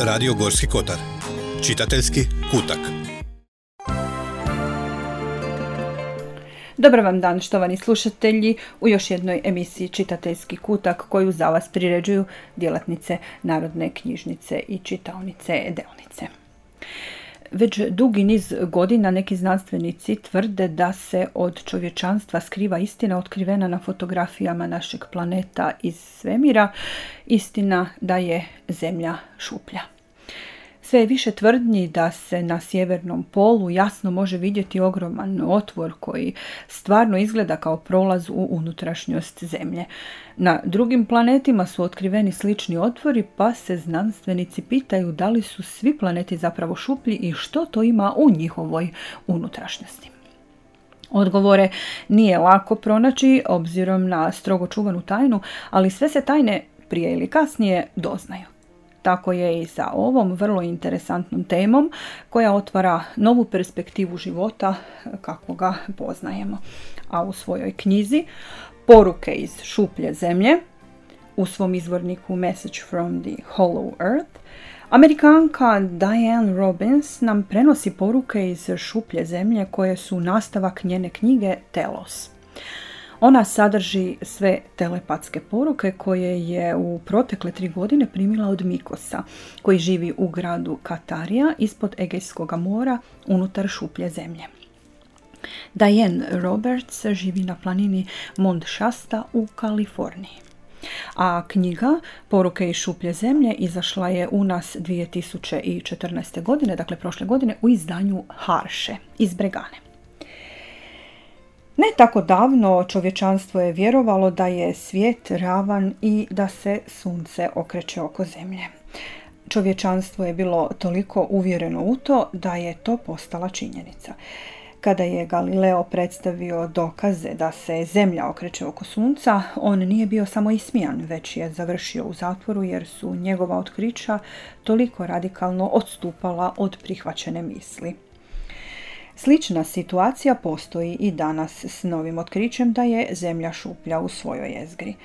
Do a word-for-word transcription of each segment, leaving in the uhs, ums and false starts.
Radio Gorski kotar. Čitateljski kutak. Dobar vam dan, štovani slušatelji, u još jednoj emisiji Čitateljski kutak koju za vas priređuju djelatnice Narodne knjižnice i čitaonice Delnice. Već dugi niz godina neki znanstvenici tvrde da se od čovječanstva skriva istina otkrivena na fotografijama našeg planeta iz svemira, istina da je Zemlja šuplja. Sve je više tvrdnji da se na sjevernom polu jasno može vidjeti ogroman otvor koji stvarno izgleda kao prolaz u unutrašnjost Zemlje. Na drugim planetima su otkriveni slični otvori, pa se znanstvenici pitaju da li su svi planeti zapravo šuplji i što to ima u njihovoj unutrašnjosti. Odgovore nije lako pronaći obzirom na strogo čuvanu tajnu, ali sve se tajne prije ili kasnije doznaju. Tako je i sa ovom vrlo interesantnom temom koja otvara novu perspektivu života kako ga poznajemo. A u svojoj knjizi Poruke iz šuplje zemlje, u svom izvorniku Message from the Hollow Earth, Amerikanka Diane Robbins nam prenosi poruke iz šuplje zemlje koje su nastavak njene knjige Telos. Ona sadrži sve telepatske poruke koje je u protekle tri godine primila od Mikosa, koji živi u gradu Katarija ispod Egejskog mora unutar šuplje zemlje. Diane Roberts živi na planini Mount Shasta u Kaliforniji. A knjiga Poruke iz šuplje zemlje izašla je u nas dvije tisuće četrnaeste. godine, dakle prošle godine, u izdanju Harše iz Bregane. Ne tako davno čovječanstvo je vjerovalo da je svijet ravan i da se sunce okreće oko zemlje. Čovječanstvo je bilo toliko uvjereno u to da je to postala činjenica. Kada je Galileo predstavio dokaze da se zemlja okreće oko sunca, on nije bio samo ismijan, već je završio u zatvoru jer su njegova otkrića toliko radikalno odstupala od prihvaćene misli. Slična situacija postoji i danas s novim otkrićem da je Zemlja šuplja u svojoj jezgri.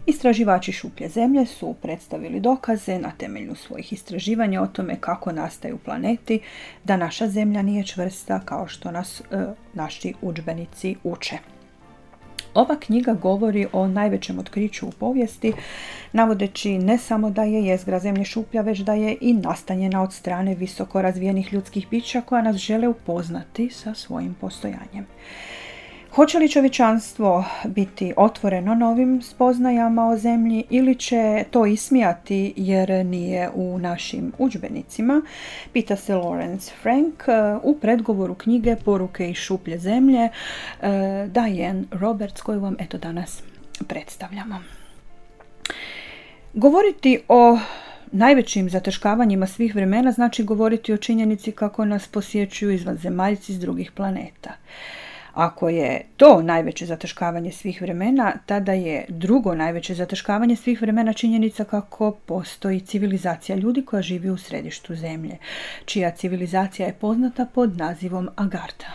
Istraživači šuplje zemlje su predstavili dokaze na temelju svojih istraživanja o tome kako nastaju planeti, da naša Zemlja nije čvrsta kao što nas e, naši udžbenici uče. Ova knjiga govori o najvećem otkriću u povijesti, navodeći ne samo da je jezgra Zemlje šuplja, već da je i nastanjena od strane visoko razvijenih ljudskih bića koja nas žele upoznati sa svojim postojanjem. Hoće li čovječanstvo biti otvoreno novim spoznajama o Zemlji ili će to ismijati jer nije u našim udžbenicima, pita se Lawrence Frank u predgovoru knjige Poruke iz šuplje zemlje Diane Roberts, koju vam eto danas predstavljamo. Govoriti o najvećim zataškavanjima svih vremena znači govoriti o činjenici kako nas posjećuju izvanzemaljci s drugih planeta. Ako je to najveće zataškavanje svih vremena, tada je drugo najveće zataškavanje svih vremena činjenica kako postoji civilizacija ljudi koja živi u središtu Zemlje, čija civilizacija je poznata pod nazivom Agartha.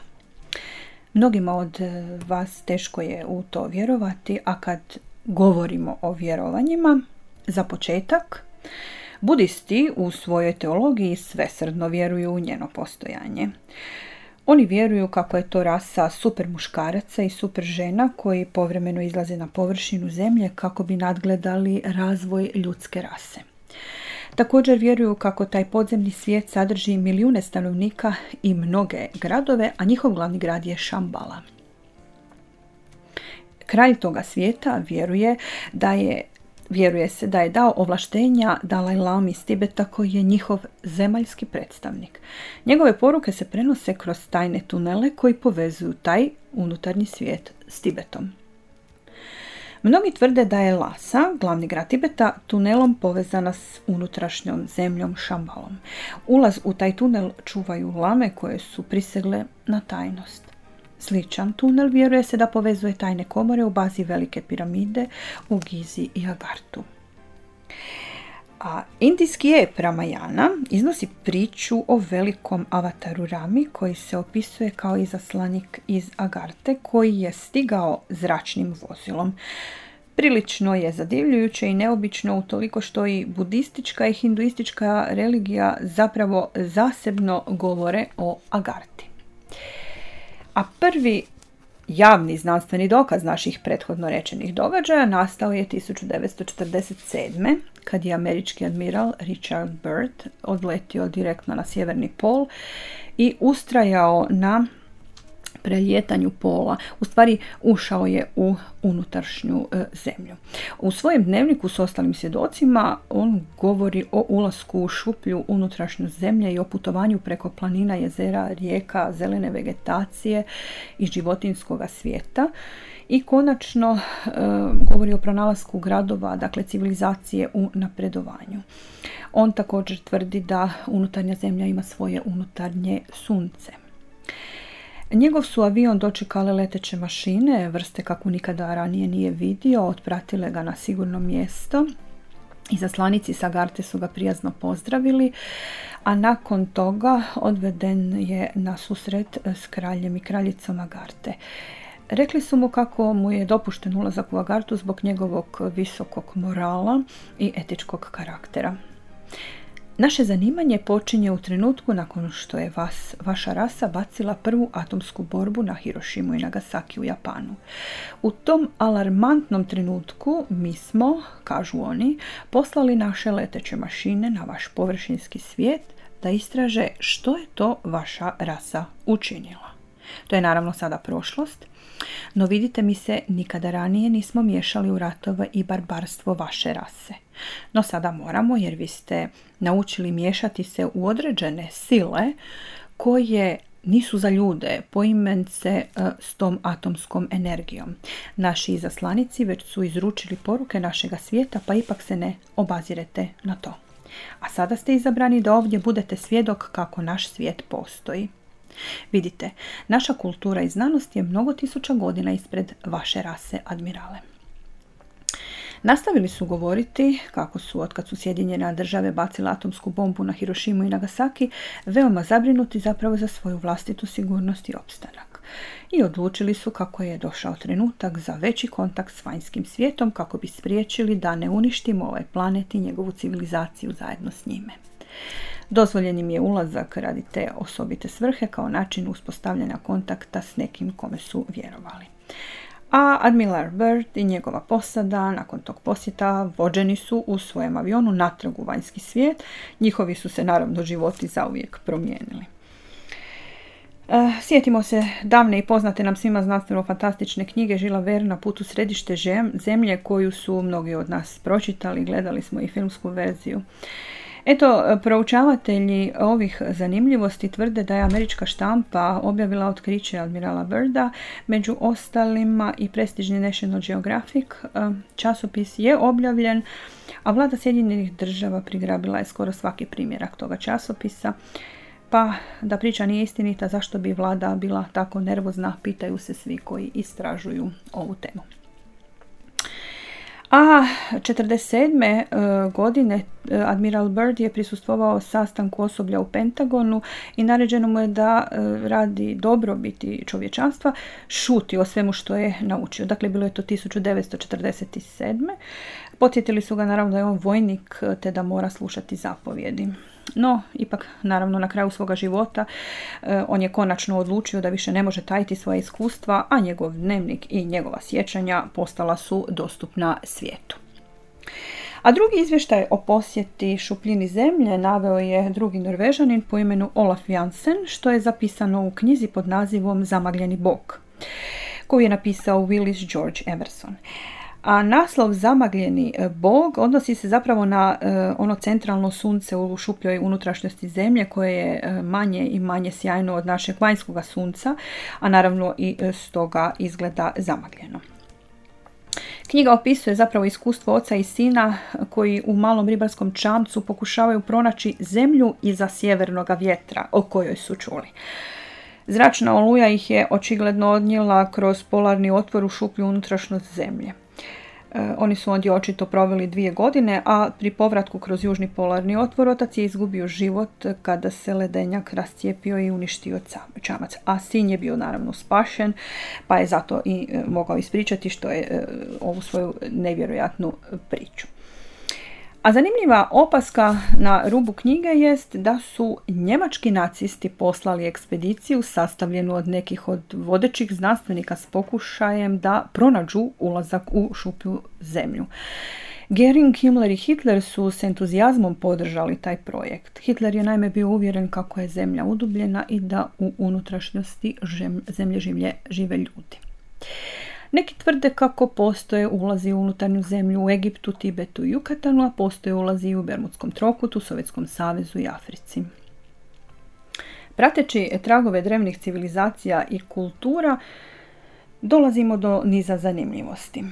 Mnogima od vas teško je u to vjerovati, a kad govorimo o vjerovanjima, za početak, budisti u svojoj teologiji svesrdno vjeruju u njeno postojanje. Oni vjeruju kako je to rasa super muškaraca i super žena koji povremeno izlaze na površinu zemlje kako bi nadgledali razvoj ljudske rase. Također vjeruju kako taj podzemni svijet sadrži milijune stanovnika i mnoge gradove, a njihov glavni grad je Shambhala. Kralj toga svijeta vjeruje da je Vjeruje se da je dao ovlaštenja Dalaj Lami iz Tibeta koji je njihov zemaljski predstavnik. Njegove poruke se prenose kroz tajne tunele koji povezuju taj unutarnji svijet s Tibetom. Mnogi tvrde da je Lhasa, glavni grad Tibeta, tunelom povezana s unutrašnjom zemljom Shambhalom. Ulaz u taj tunel čuvaju lame koje su prisegle na tajnost. Sličan tunel vjeruje se da povezuje tajne komore u bazi velike piramide u Gizi i Agartu. A indijski ep Ramayana iznosi priču o velikom avataru Rami koji se opisuje kao izaslanik iz Agarte koji je stigao zračnim vozilom. Prilično je zadivljujuće i neobično utoliko što i budistička i hinduistička religija zapravo zasebno govore o Agarti. A prvi javni znanstveni dokaz naših prethodno rečenih događaja nastao je tisuću devetsto četrdeset sedme. kad je američki admiral Richard Byrd odletio direktno na sjeverni pol i ustrajao na prelijetanju pola. U stvari ušao je u unutrašnju e, zemlju. U svojem dnevniku s ostalim svjedocima on govori o ulasku u šuplju unutrašnju zemlje i o putovanju preko planina, jezera, rijeka, zelene vegetacije i životinjskog svijeta. I konačno e, govori o pronalasku gradova, dakle civilizacije u napredovanju. On također tvrdi da unutarnja zemlja ima svoje unutarnje sunce. Njegov su avion dočekale leteće mašine, vrste kakvu nikada ranije nije vidio, otpratile ga na sigurno mjesto. Izaslanici sa Agarte su ga prijazno pozdravili, a nakon toga odveden je na susret s kraljem i kraljicom Agarte. Rekli su mu kako mu je dopušten ulazak u Agartu zbog njegovog visokog morala i etičkog karaktera. Naše zanimanje počinje u trenutku nakon što je vas, vaša rasa bacila prvu atomsku bombu na Hirošimu i Nagasaki u Japanu. U tom alarmantnom trenutku mi smo, kažu oni, poslali naše leteće mašine na vaš površinski svijet da istraže što je to vaša rasa učinila. To je naravno sada prošlost, no vidite, mi se nikada ranije nismo miješali u ratove i barbarstvo vaše rase. No sada moramo, jer vi ste naučili miješati se u određene sile koje nisu za ljude, poimence uh, s tom atomskom energijom. Naši izaslanici već su izručili poruke našega svijeta, pa ipak se ne obazirete na to. A sada ste izabrani da ovdje budete svjedok kako naš svijet postoji. Vidite, naša kultura i znanost je mnogo tisuća godina ispred vaše rase, admirale. Nastavili su govoriti kako su, otkad su Sjedinjene države bacile atomsku bombu na Hirošimu i Nagasaki, veoma zabrinuti zapravo za svoju vlastitu sigurnost i opstanak. I odlučili su kako je došao trenutak za veći kontakt s vanjskim svijetom kako bi spriječili da ne uništimo ovaj planet i njegovu civilizaciju zajedno s njime. Dozvoljen im je ulazak radi te osobite svrhe kao način uspostavljanja kontakta s nekim kome su vjerovali. A admiral Byrd i njegova posada nakon tog posjeta vođeni su u svojem avionu natrag u vanjski svijet. Njihovi su se naravno životi zauvijek promijenili. E, sjetimo se davne i poznate nam svima znanstveno-fantastične knjige Žila Verne Na putu središte zemlje, koju su mnogi od nas pročitali, gledali smo i filmsku verziju. Eto, proučavatelji ovih zanimljivosti tvrde da je američka štampa objavila otkriće admirala Byrda, među ostalima i prestižni National Geographic časopis je objavljen, a vlada Sjedinjenih država prigrabila je skoro svaki primjerak toga časopisa. Pa da priča nije istinita, zašto bi vlada bila tako nervozna, pitaju se svi koji istražuju ovu temu. A četrdeset sedme godine admiral Byrd je prisustvovao sastanku osoblja u Pentagonu i naređeno mu je da radi dobrobiti čovječanstva šuti o svemu što je naučio. Dakle, bilo je to tisuću devetsto četrdeset sedme. Podsjetili su ga naravno da je on vojnik te da mora slušati zapovjedi. No, ipak, naravno, na kraju svoga života eh, on je konačno odlučio da više ne može tajiti svoje iskustva, a njegov dnevnik i njegova sjećanja postala su dostupna svijetu. A drugi izvještaj o posjeti šupljini zemlje naveo je drugi Norvežanin po imenu Olaf Jansen, što je zapisano u knjizi pod nazivom Zamagljeni bog, koju je napisao Willis George Emerson. A naslov Zamagljeni bog odnosi se zapravo na uh, ono centralno sunce u šupljoj unutrašnjosti zemlje koje je uh, manje i manje sjajno od našeg vanjskoga sunca, a naravno i uh, stoga izgleda zamagljeno. Knjiga opisuje zapravo iskustvo oca i sina koji u malom ribarskom čamcu pokušavaju pronaći zemlju iza sjevernoga vjetra o kojoj su čuli. Zračna oluja ih je očigledno odnijela kroz polarni otvor u šuplju unutrašnjost zemlje. Oni su ondje očito proveli dvije godine, a pri povratku kroz južni polarni otvor otac je izgubio život kada se ledenjak rascijepio i uništio čamac. A sin je bio naravno spašen, pa je zato i mogao ispričati što je ovu svoju nevjerojatnu priču. A zanimljiva opaska na rubu knjige jest da su njemački nacisti poslali ekspediciju sastavljenu od nekih od vodećih znanstvenika s pokušajem da pronađu ulazak u šuplju zemlju. Göring, Himmler i Hitler su s entuzijazmom podržali taj projekt. Hitler je naime bio uvjeren kako je zemlja udubljena i da u unutrašnjosti zemlje življe, žive ljudi. Neki tvrde kako postoje ulazi u unutarnju zemlju u Egiptu, Tibetu i Jukatanu, a postoje ulazi i u Bermudskom trokutu, Sovjetskom savezu i Africi. Prateći tragove drevnih civilizacija i kultura, dolazimo do niza zanimljivosti.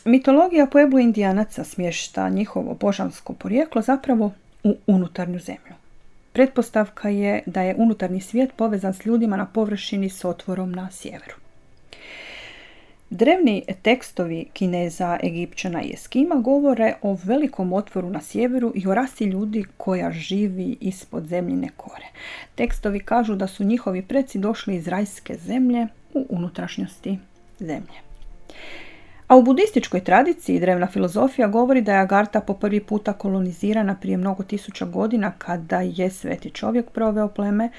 Mitologija Pueblo Indijanaca smješta njihovo božansko porijeklo zapravo u unutarnju zemlju. Pretpostavka je da je unutarnji svijet povezan s ljudima na površini s otvorom na sjeveru. Drevni tekstovi Kineza, Egipćana i Eskima govore o velikom otvoru na sjeveru i o rasi ljudi koja živi ispod zemljine kore. Tekstovi kažu da su njihovi preci došli iz rajske zemlje u unutrašnjosti zemlje. A u budističkoj tradiciji drevna filozofija govori da je Agartha po prvi puta kolonizirana prije mnogo tisuća godina kada je sveti čovjek proveo pleme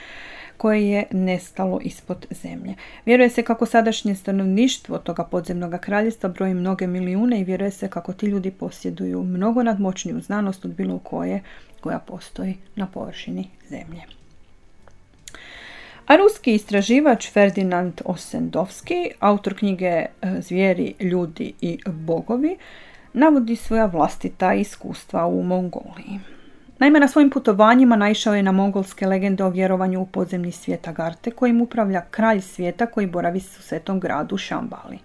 koje je nestalo ispod zemlje. Vjeruje se kako sadašnje stanovništvo toga podzemnog kraljevstva broji mnoge milijune i vjeruje se kako ti ljudi posjeduju mnogo nadmoćniju znanost od bilo koje koja postoji na površini zemlje. A ruski istraživač Ferdinand Ossendowski, autor knjige Zvijeri, ljudi i bogovi, navodi svoja vlastita iskustva u Mongoliji. Naime, na svojim putovanjima naišao je na mongolske legende o vjerovanju u podzemni svijet Agarthe, kojim upravlja kralj svijeta koji boravi u svetom gradu Šambali.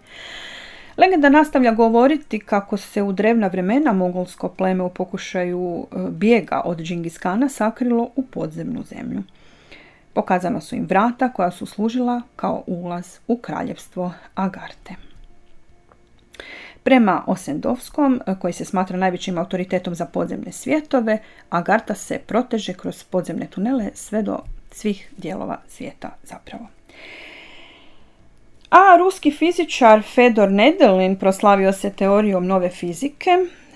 Legenda nastavlja govoriti kako se u drevna vremena mongolsko pleme u pokušaju bijega od Džingis Kana sakrilo u podzemnu zemlju. Pokazana su im vrata koja su služila kao ulaz u kraljevstvo Agarthe. Prema Ossendowskom, koji se smatra najvećim autoritetom za podzemne svjetove, Agartha se proteže kroz podzemne tunele sve do svih dijelova svijeta zapravo. A ruski fizičar Fedor Nedelin proslavio se teorijom nove fizike.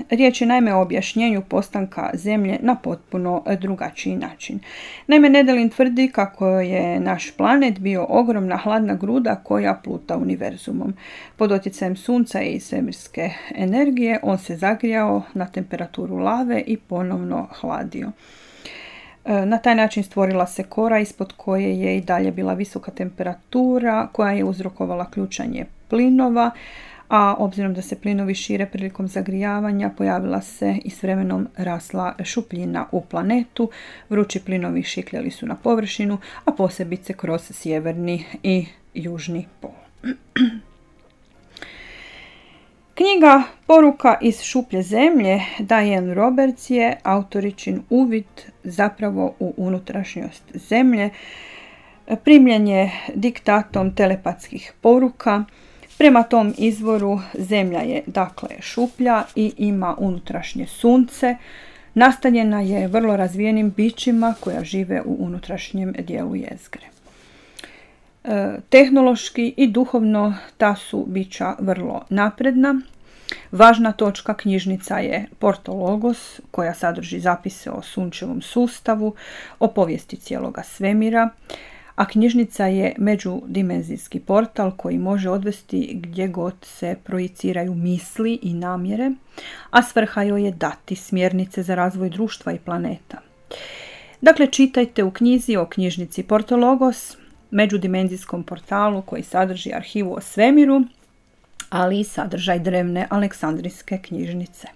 Riječ je naime o objašnjenju postanka Zemlje na potpuno drugačiji način. Naime, Nedelin tvrdi kako je naš planet bio ogromna hladna gruda koja pluta univerzumom. Pod utjecajem sunca i svemirske energije on se zagrijao na temperaturu lave i ponovno hladio. Na taj način stvorila se kora ispod koje je i dalje bila visoka temperatura koja je uzrokovala ključanje plinova, a obzirom da se plinovi šire prilikom zagrijavanja, pojavila se i s vremenom rasla šupljina u planetu. Vrući plinovi šikljali su na površinu, a posebice kroz sjeverni i južni pol. Knjiga Poruka iz šuplje zemlje Diane Roberts je autoričin uvid zapravo u unutrašnjost zemlje. Primljen je diktatom telepatskih poruka. Prema tom izvoru zemlja je dakle šuplja i ima unutrašnje sunce. Nastanjena je vrlo razvijenim bićima koja žive u unutrašnjem dijelu jezgre. E, tehnološki i duhovno ta su bića vrlo napredna. Važna točka knjižnica je Portologos, koja sadrži zapise o sunčevom sustavu, o povijesti cijeloga svemira, a knjižnica je međudimenzijski portal koji može odvesti gdje god se projiciraju misli i namjere, a svrha joj je dati smjernice za razvoj društva i planeta. Dakle, čitajte u knjizi o knjižnici Portologos, međudimenzijskom portalu koji sadrži arhivu o svemiru, ali i sadržaj drevne aleksandrijske knjižnice.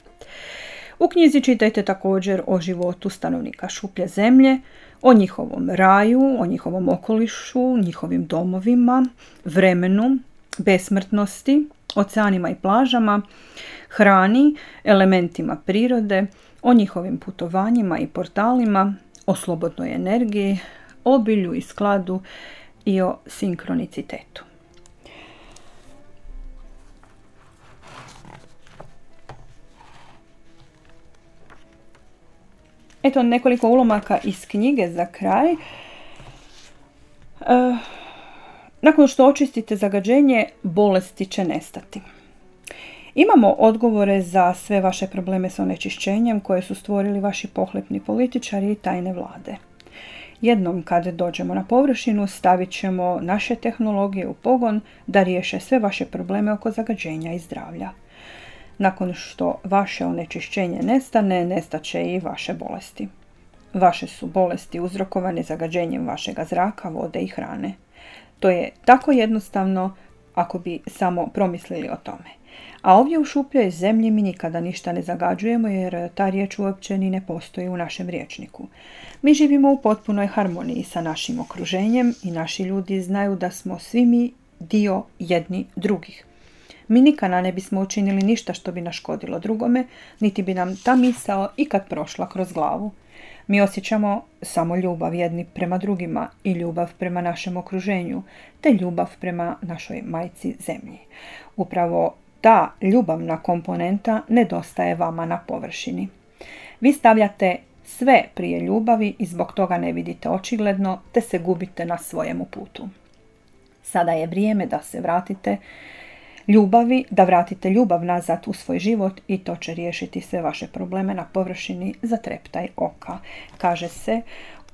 U knjizi čitajte također o životu stanovnika šuplje zemlje, o njihovom raju, o njihovom okolišu, njihovim domovima, vremenu, besmrtnosti, oceanima i plažama, hrani, elementima prirode, o njihovim putovanjima i portalima, o slobodnoj energiji, obilju i skladu i o sinkronicitetu. Eto nekoliko ulomaka iz knjige za kraj. E, nakon što očistite zagađenje, bolesti će nestati. Imamo odgovore za sve vaše probleme s onečišćenjem koje su stvorili vaši pohlepni političari i tajne vlade. Jednom kad dođemo na površinu, stavit ćemo naše tehnologije u pogon da riješe sve vaše probleme oko zagađenja i zdravlja. Nakon što vaše onečišćenje nestane, nestaće i vaše bolesti. Vaše su bolesti uzrokovane zagađenjem vašega zraka, vode i hrane. To je tako jednostavno ako bi samo promislili o tome. A ovdje u šupljoj zemlji mi nikada ništa ne zagađujemo jer ta riječ uopće ni ne postoji u našem rječniku. Mi živimo u potpunoj harmoniji sa našim okruženjem i naši ljudi znaju da smo svi mi dio jedni drugih. Mi nikada ne bismo učinili ništa što bi naškodilo drugome, niti bi nam ta misao ikad prošla kroz glavu. Mi osjećamo samo ljubav jedni prema drugima i ljubav prema našem okruženju, te ljubav prema našoj majci zemlji. Upravo ta ljubavna komponenta nedostaje vama na površini. Vi stavljate sve prije ljubavi i zbog toga ne vidite očigledno, te se gubite na svojemu putu. Sada je vrijeme da se vratite ljubavi, da vratite ljubav nazad u svoj život i to će riješiti sve vaše probleme na površini za treptaj oka, kaže se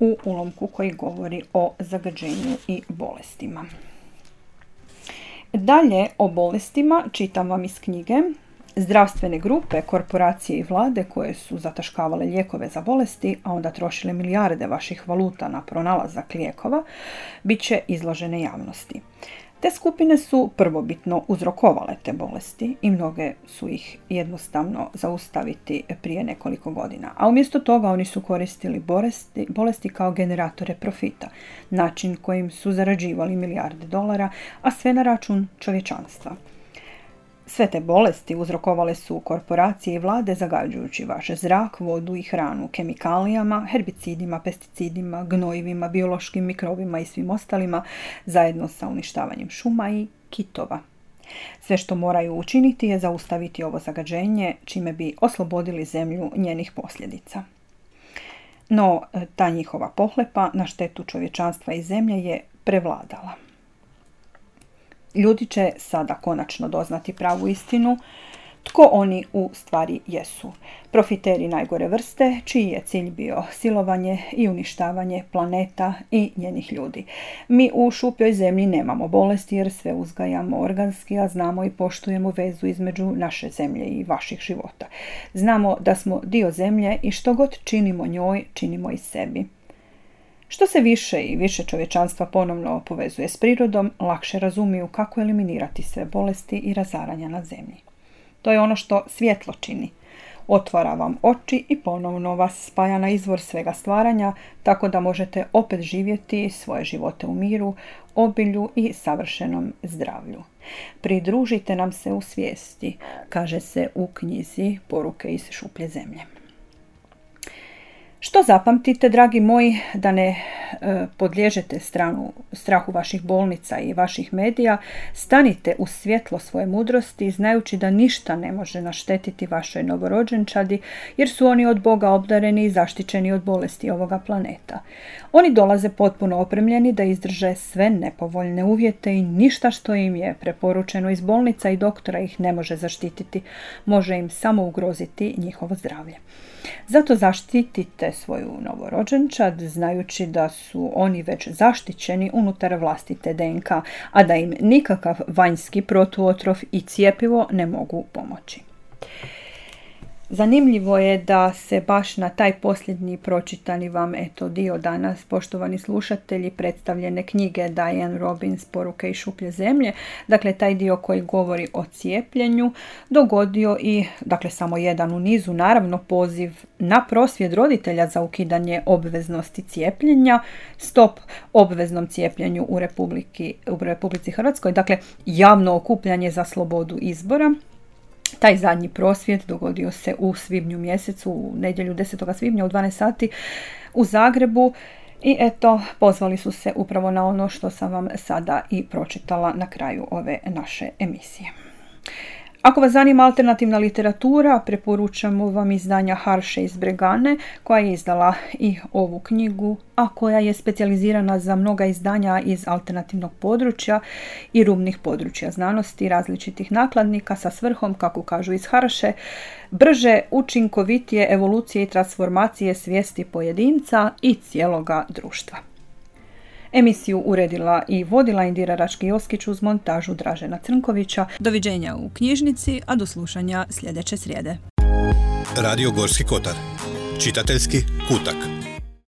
u ulomku koji govori o zagađenju i bolestima. Dalje o bolestima čitam vam iz knjige. Zdravstvene grupe, korporacije i vlade koje su zataškavale lijekove za bolesti, a onda trošile milijarde vaših valuta na pronalazak lijekova, bit će izložene javnosti. Te skupine su prvobitno uzrokovale te bolesti i mnoge su ih jednostavno zaustaviti prije nekoliko godina. A umjesto toga oni su koristili bolesti, bolesti kao generatore profita, način kojim su zarađivali milijarde dolara, a sve na račun čovječanstva. Sve te bolesti uzrokovale su korporacije i vlade zagađujući vaš zrak, vodu i hranu kemikalijama, herbicidima, pesticidima, gnojivima, biološkim mikrobima i svim ostalima, zajedno sa uništavanjem šuma i kitova. Sve što moraju učiniti je zaustaviti ovo zagađenje, čime bi oslobodili zemlju njenih posljedica. No, ta njihova pohlepa na štetu čovječanstva i zemlje je prevladala. Ljudi će sada konačno doznati pravu istinu, tko oni u stvari jesu. Profiteri najgore vrste, čiji je cilj bio silovanje i uništavanje planeta i njenih ljudi. Mi u šupljoj zemlji nemamo bolesti jer sve uzgajamo organski, a znamo i poštujemo vezu između naše zemlje i vaših života. Znamo da smo dio zemlje i što god činimo njoj, činimo i sebi. Što se više i više čovječanstva ponovno povezuje s prirodom, lakše razumiju kako eliminirati sve bolesti i razaranja na zemlji. To je ono što svjetlo čini. Otvara vam oči i ponovno vas spaja na izvor svega stvaranja, tako da možete opet živjeti svoje živote u miru, obilju i savršenom zdravlju. Pridružite nam se u svijesti, kaže se u knjizi Poruke iz šuplje zemlje. Što zapamtite, dragi moji, da ne e, podliježete stranu, strahu vaših bolnica i vaših medija, stanite u svjetlo svoje mudrosti, znajući da ništa ne može naštetiti vašoj novorođenčadi, jer su oni od Boga obdareni i zaštićeni od bolesti ovoga planeta. Oni dolaze potpuno opremljeni da izdrže sve nepovoljne uvjete i ništa što im je preporučeno iz bolnica i doktora ih ne može zaštititi, može im samo ugroziti njihovo zdravlje. Zato zaštitite svoju novorođenčad, znajući da su oni već zaštićeni unutar vlastite D N K, a da im nikakav vanjski protuotrov i cjepivo ne mogu pomoći. Zanimljivo je da se baš na taj posljednji pročitani vam eto dio danas, poštovani slušatelji, predstavljene knjige Diane Robbins Poruke iz šuplje zemlje, dakle taj dio koji govori o cijepljenju, dogodio i, dakle samo jedan u nizu, naravno poziv na prosvjed roditelja za ukidanje obveznosti cijepljenja, stop obveznom cijepljenju u, Republiki, u Republici Hrvatskoj, dakle javno okupljanje za slobodu izbora. Taj zadnji prosvjed dogodio se u svibnju mjesecu, u nedjelju desetog svibnja u dvanaest sati u Zagrebu i eto, pozvali su se upravo na ono što sam vam sada i pročitala na kraju ove naše emisije. Ako vas zanima alternativna literatura, preporučamo vam izdanja Harše iz Bregane, koja je izdala i ovu knjigu, a koja je specijalizirana za mnoga izdanja iz alternativnog područja i rubnih područja znanosti različitih nakladnika sa svrhom, kako kažu iz Harše, brže, učinkovitije evolucije i transformacije svijesti pojedinca i cijeloga društva. Emisiju uredila i vodila Indira Rački-Joskić uz montažu Dražena Crnkovića. Doviđenja u knjižnici, a do slušanja sljedeće srijede. Radio Gorski kotar. Čitateljski kutak.